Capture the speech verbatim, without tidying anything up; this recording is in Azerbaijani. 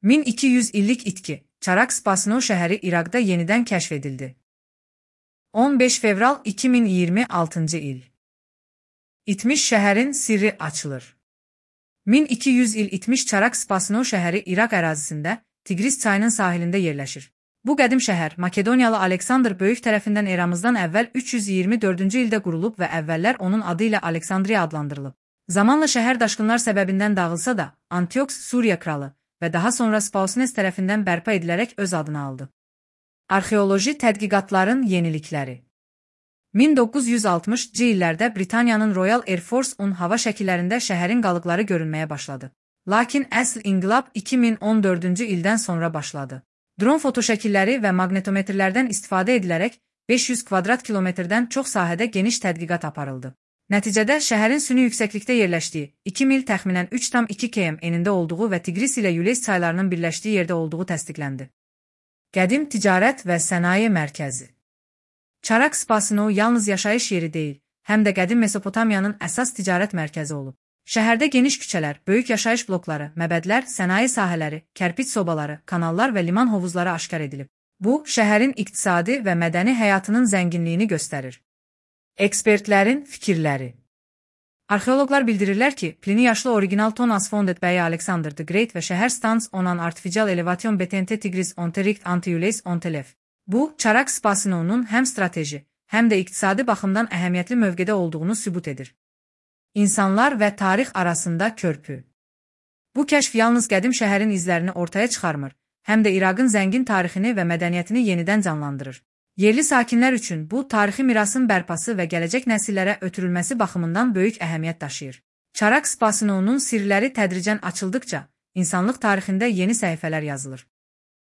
min iki yüz illik itki, Çarak-Spasino şəhəri İraqda yenidən kəşf edildi. on beş fevral iki min iyirmi altıncı il. İtmiş şəhərin sirri açılır. min iki yüz il itmiş Çarak-Spasino şəhəri İraq ərazisində, Tigris çayının sahilində yerləşir. Bu qədim şəhər Makedoniyalı Aleksandr Böyük tərəfindən eramızdan əvvəl üç yüz iyirmi dördüncü ildə qurulub və əvvəllər onun adı ilə Aleksandriya adlandırılıb. Zamanla şəhər daşqınlar səbəbindən dağılsa da, Antiox Suriya kralı və daha sonra Spausines tərəfindən bərpa edilərək öz adını aldı. Arxeoloji tədqiqatların yenilikləri. min doqquz yüz altmışcı illərdə Britaniyanın Royal Air Force un hava şəkillərində şəhərin qalıqları görünməyə başladı. Lakin əsl inqilab iki min on dördüncü ildən sonra başladı. Dron fotoşəkilləri və maqnetometrlərdən istifadə edilərək beş yüz kvadrat kilometrdən çox sahədə geniş tədqiqat aparıldı. Nəticədə şəhərin süni yüksəklikdə yerləşdiyi, iki mil təxminən üç tam iki kilometr enində olduğu və Tigris ilə Yules çaylarının birləşdiyi yerdə olduğu təsdiqləndi. Qədim ticarət və sənaye mərkəzi. Çarak-Spasino yalnız yaşayış yeri deyil, həm də qədim Mesopotamiyanın əsas ticarət mərkəzi olub. Şəhərdə geniş küçələr, böyük yaşayış blokları, məbədlər, sənaye sahələri, kərpiç sobaları, kanallar və liman hovuzları aşkar edilib. Bu, şəhərin iqtisadi və mədəni həyatının zənginliyini göstərir. Ekspertlərin fikirləri. Arxeoloqlar bildirirlər ki, Plini yaşlı original Tonas Fondet bəyi Alexander the Great və şəhər stans onan artificial elevation betente Tigris onterikt antiyules ontelef. Bu, Çarak-Spasinonun həm strateji, həm də iqtisadi baxımdan əhəmiyyətli mövqedə olduğunu sübut edir. İnsanlar və tarix arasında körpü. Bu kəşf yalnız qədim şəhərin izlərini ortaya çıxarmır, həm də İraqın zəngin tarixini və mədəniyyətini yenidən canlandırır. Yerli sakinlər üçün bu, tarixi mirasın bərpası və gələcək nəsillərə ötürülməsi baxımından böyük əhəmiyyət daşıyır. Çarak-Spasinonun sirləri tədricən açıldıqca, insanlıq tarixində yeni səhifələr yazılır.